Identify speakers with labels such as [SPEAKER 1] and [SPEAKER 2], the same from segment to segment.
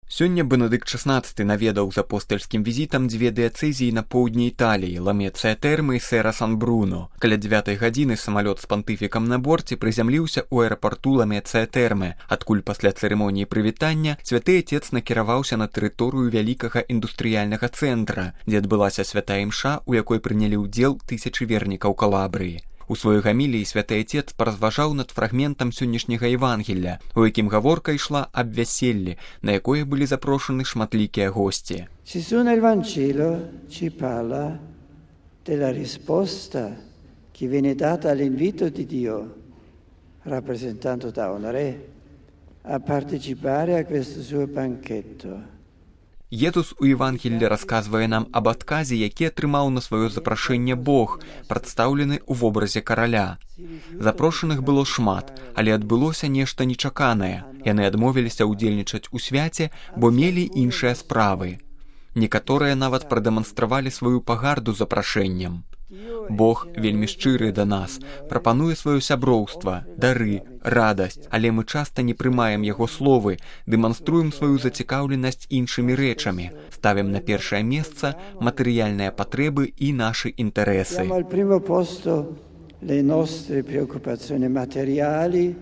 [SPEAKER 1] Сёння Бенедыкт XVI наведаў з апостальскім візітам дзве дыяцэзіі на поўдні Італіі, Ламецыя Тэрмы і Сэра Сан-Бруно. Каля 9 гадзіны самалёт з пантыфікам на борце прызямліўся ў аэрапарту Ламецыя Тэрмы, адкуль пасля цырымоніі прывітання святы Отец накіраваўся на тэрыторыю вялікага індустрыяльнага цэнтра, дзе адбылася святая імша, у якой прынялі ўдзел тысячы вернікаў Калабрыі. У сваёй гаміліі святы Отец паразважаў над фрагментам сённяшняга Евангелля, у якім гаворка ішла аб вяселлі, на якое былі запрошаны шматлікія госці.
[SPEAKER 2] Gesù nel Vangelo ci parla della risposta che viene data all'invito di Dio, rappresentato da un re, a partecipare a questo suo banchetto.
[SPEAKER 1] Езус у Евангеллі расказвае нам аб адказе, які атрымаў на сваё запрашэнне Бог, прадстаўлены ў вобразе караля. Запрошаных было шмат, але адбылося нешта нечаканае. Яны адмовіліся ўдзельнічаць у свяце, бо мелі іншыя справы. Некаторыя нават прадэманстравалі сваю пагарду запрашэннем. Бог вельмі шчыры да нас, прапануе сваё сяброўства, дары, радасць, але мы часта не прымаем яго словы, дэманструем сваю зацікаўленасць іншымі рэчамі, ставім на першае месца матэрыяльныя патрэбы і нашы інтарэсы.
[SPEAKER 2] Al primo posto le nostre preoccupazioni materiali,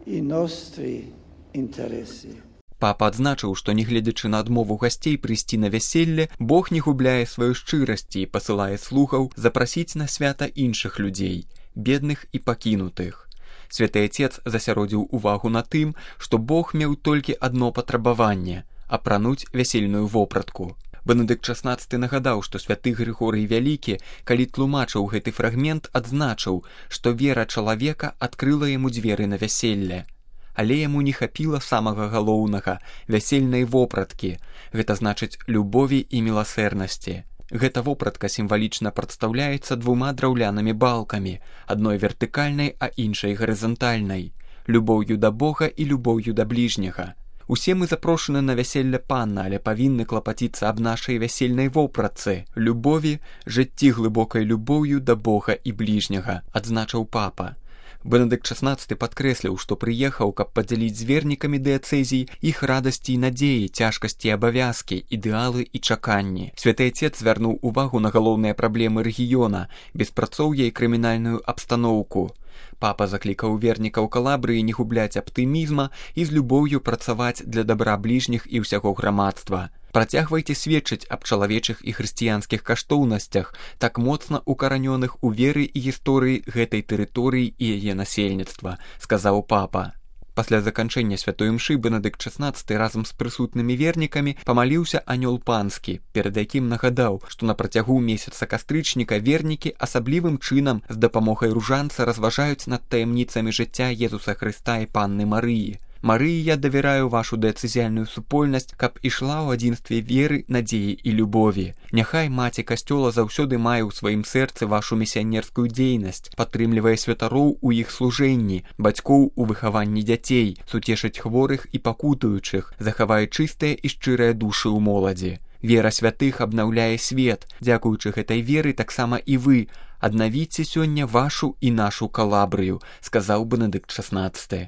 [SPEAKER 2] i nostri interessi.
[SPEAKER 1] Папа адзначыў, што нягледзячы на адмову гасцей прыйсці на вяселле, Бог не губляе сваёй шчырасці і пасылае слугаў запрасіць на свята іншых людзей, бедных і пакінутых. Святы Отец засяродзіў увагу на тым, што Бог меў толькі адно патрабаванне – апрануць вясельную вопратку. Бенедыкт XVI нагадаў, што святы Грыгорый Вялікі, калі тлумачыў гэты фрагмент, адзначыў, што вера чалавека адкрыла яму дзверы на вяселле. Але яму не хапіла самага галоўнага – вясельнай вопраткі, гэта значыць любові і міласэрнасці. Гэта вопратка сімвалічна прадстаўляецца двума драўлянымі балкамі, адной вертыкальнай, а іншай гарызантальнай, любоўю да Бога і любоўю да бліжняга. Усе мы запрошаны на вяселле Панна, але павінны клапаціцца аб нашай вясельнай вопратцы, любові, жыцці глыбокай любоўю да Бога і бліжняга, адзначыў папа. Бенедыкт XVI падкрэсліў, што прыехаў, каб падзяліць з вернікамі дыяцэзій іх радасці і надзеі, цяжкасці і абавязкі, ідэалы і чаканні. Святы Отец звярнуў увагу на галоўныя праблемы рэгіёна, беспрацоўе і крымінальную абстаноўку. Папа заклікаў вернікаў Калабрыі не губляць аптымізма і з любоўю працаваць для дабра бліжніх і ўсяго грамадства. Працягвайце сведчыць аб чалавечых і хрысціянскіх каштоўнасцях, так моцна укаранёных у веры і гісторыі гэтай тэрыторыі і яе насельніцтва, сказаў папа. Пасля заканчэння святой імшы Бенедыкт XVI разам з прысутнымі вернікамі памаліўся анёл панскі, перад якім нагадаў, што на працягу месяца кастрычніка вернікі асаблівым чынам з дапамогай ружанца разважаюць над таямніцамі жыцця Езуса Хрыста і Панны Марыі. Марыі, я давяраю вашу дыяцэзіяльную супольнасць, каб ішла ў адзінстве веры, надзеі і любові. Няхай маці касцёла заўсёды мае ў сваім сэрцы вашу місіянерскую дзейнасць, падтрымлівае святароў у іх служэнні, бацькоў у выхаванні дзяцей, суцешыць хворых і пакутуючых, захавае чыстыя і шчырыя душы ў моладзі. Вера святых абнаўляе свет. Дзякуючы гэтай веры таксама і вы аднавіце сёння вашу і нашу Калабрыю, сказаў Бенедыкт XVI.